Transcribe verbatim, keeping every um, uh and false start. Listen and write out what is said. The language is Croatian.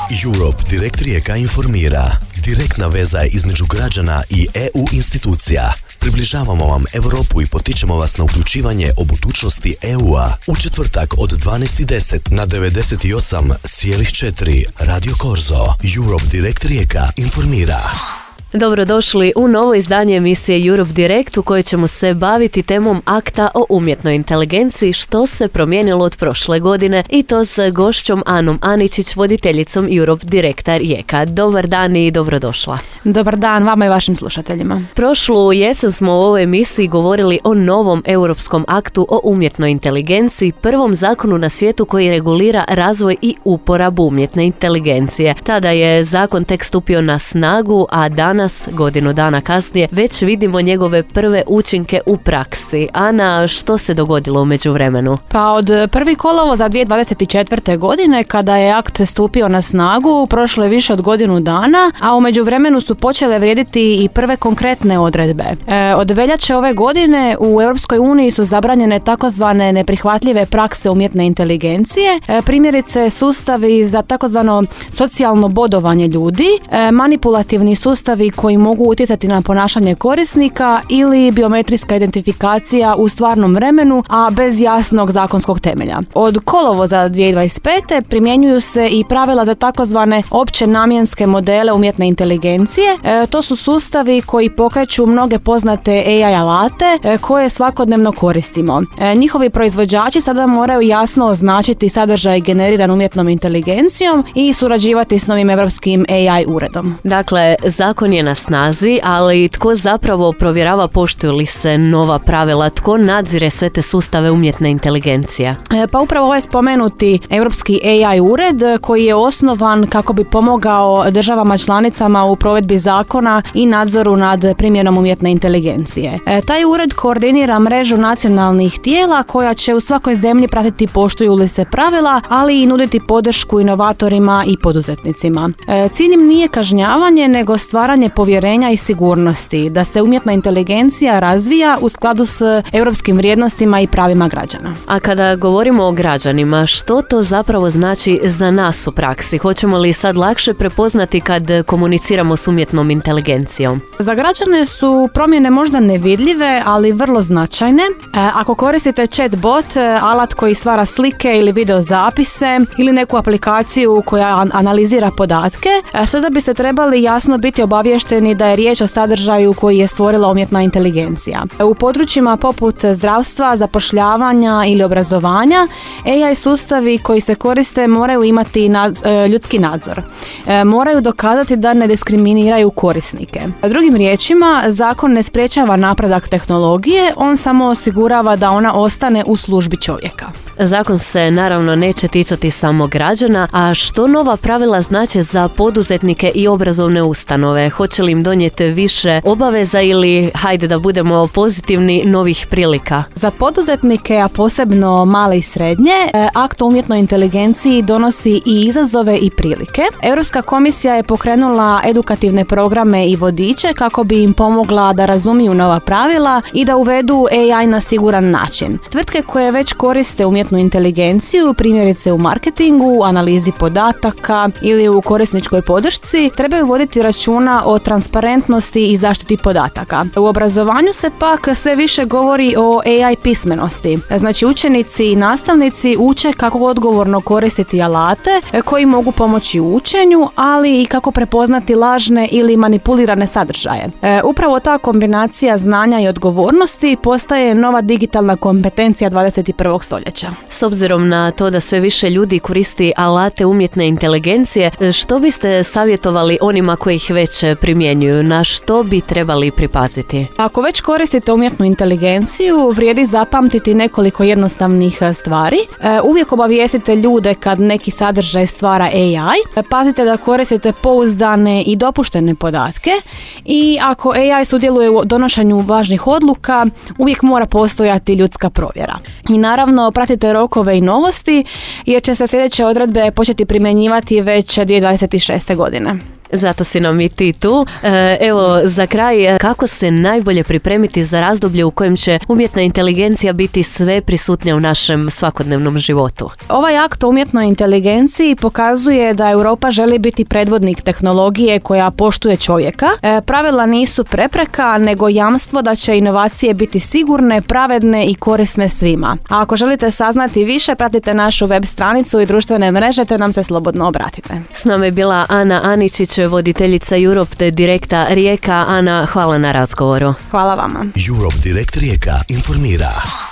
Europe Direct Rijeka informira. Direktna veza između građana i E U institucija. Približavamo vam Europu i potičemo vas na uključivanje o budućnosti E U-a. U četvrtak od dvanaest i deset na devedeset osam zarez četiri Radio Korzo. Europe Direct Rijeka informira. Dobrodošli u novo izdanje emisije Europe Direct u kojoj ćemo se baviti temom akta o umjetnoj inteligenciji, što se promijenilo od prošle godine, i to s gošćom Anom Aničić, voditeljicom Europe Directa Rijeka. Dobar dan i dobrodošla. Dobar dan vama i vašim slušateljima. Prošlu jesen smo u ovoj emisiji govorili o novom europskom aktu o umjetnoj inteligenciji, prvom zakonu na svijetu koji regulira razvoj i uporabu umjetne inteligencije. Tada je zakon tek stupio na snagu, a danas Danas, godinu dana kasnije, već vidimo njegove prve učinke u praksi. Ana, što se dogodilo u međuvremenu? Pa od prvog kolovoza dvije tisuće dvadeset četvrte. godine, kada je akt stupio na snagu, prošlo je više od godinu dana, a u međuvremenu su počele vrijediti i prve konkretne odredbe. E, od veljače ove godine u Europskoj uniji su zabranjene takozvane neprihvatljive prakse umjetne inteligencije, e, primjerice sustavi za takozvano socijalno bodovanje ljudi, e, manipulativni sustavi koji mogu utjecati na ponašanje korisnika ili biometrijska identifikacija u stvarnom vremenu, a bez jasnog zakonskog temelja. Od kolovoza dvije tisuće dvadeset pete. primjenjuju se i pravila za takozvane opće namjenske modele umjetne inteligencije. E, to su sustavi koji pokreću mnoge poznate A I alate e, koje svakodnevno koristimo. E, njihovi proizvođači sada moraju jasno označiti sadržaj generiran umjetnom inteligencijom i surađivati s novim europskim A I uredom. Dakle, zakon je na snazi, ali tko zapravo provjerava poštuju li se nova pravila, tko nadzire sve te sustave umjetne inteligencije? E, pa upravo ovaj spomenuti Europski A I ured koji je osnovan kako bi pomogao državama članicama u provedbi zakona i nadzoru nad primjenom umjetne inteligencije. E, taj ured koordinira mrežu nacionalnih tijela koja će u svakoj zemlji pratiti poštuju li se pravila, ali i nuditi podršku inovatorima i poduzetnicima. E, cilj im nije kažnjavanje, nego stvaranje povjerenja i sigurnosti da se umjetna inteligencija razvija u skladu s europskim vrijednostima i pravima građana. A kada govorimo o građanima, što to zapravo znači za nas u praksi? Hoćemo li sad lakše prepoznati kad komuniciramo s umjetnom inteligencijom? Za građane su promjene možda nevidljive, ali vrlo značajne. E, ako koristite chatbot, alat koji stvara slike ili video zapise ili neku aplikaciju koja analizira podatke, e, sada biste trebali jasno biti obavješteni da je riječ o sadržaju koji je stvorila umjetna inteligencija. U područjima poput zdravstva, zapošljavanja ili obrazovanja, A I sustavi koji se koriste moraju imati nad, ljudski nadzor. E, moraju dokazati da ne diskriminiraju korisnike. Drugim riječima, zakon ne sprječava napredak tehnologije, on samo osigurava da ona ostane u službi čovjeka. Zakon se naravno neće ticati samo građana, a što nova pravila znače za poduzetnike i obrazovne ustanove? Hoće li im donijeti više obaveza ili, hajde da budemo pozitivni, novih prilika? Za poduzetnike, a posebno male i srednje, akt o umjetnoj inteligenciji donosi i izazove i prilike. Europska komisija je pokrenula edukativne programe i vodiče kako bi im pomogla da razumiju nova pravila i da uvedu A I na siguran način. Tvrtke koje već koriste umjetnu inteligenciju, primjerice u marketingu, analizi podataka ili u korisničkoj podršci, trebaju voditi računa o transparentnosti i zaštiti podataka. U obrazovanju se pak sve više govori o A I pismenosti. Znači, učenici i nastavnici uče kako odgovorno koristiti alate koji mogu pomoći u učenju, ali i kako prepoznati lažne ili manipulirane sadržaje. E, upravo ta kombinacija znanja i odgovornosti postaje nova digitalna kompetencija dvadeset i prvog stoljeća. S obzirom na to da sve više ljudi koristi alate umjetne inteligencije, što biste savjetovali onima koji ih već primjenjuju? Na što bi trebali pripaziti? Ako već koristite umjetnu inteligenciju, vrijedi zapamtiti nekoliko jednostavnih stvari. E, uvijek obavijestite ljude kad neki sadržaj stvara A I. Pazite da koristite pouzdane i dopuštene podatke i ako A I sudjeluje u donošenju važnih odluka, uvijek mora postojati ljudska provjera. I naravno, pratite rokove i novosti jer će se sljedeće odredbe početi primjenjivati već dvije tisuće dvadeset šeste. godine. Zato si nam i ti tu. E, evo, za kraj, kako se najbolje pripremiti za razdoblje u kojem će umjetna inteligencija biti sve prisutnija u našem svakodnevnom životu? Ovaj akt o umjetnoj inteligenciji pokazuje da Europa želi biti predvodnik tehnologije koja poštuje čovjeka. E, pravila nisu prepreka, nego jamstvo da će inovacije biti sigurne, pravedne i korisne svima. A ako želite saznati više, pratite našu web stranicu i društvene mreže te nam se slobodno obratite. S nama je bila Ana Aničić, voditeljica Europe te Direkta Rijeka. Ana, hvala na razgovoru. Hvala vama. Europe Direct Rijeka informira.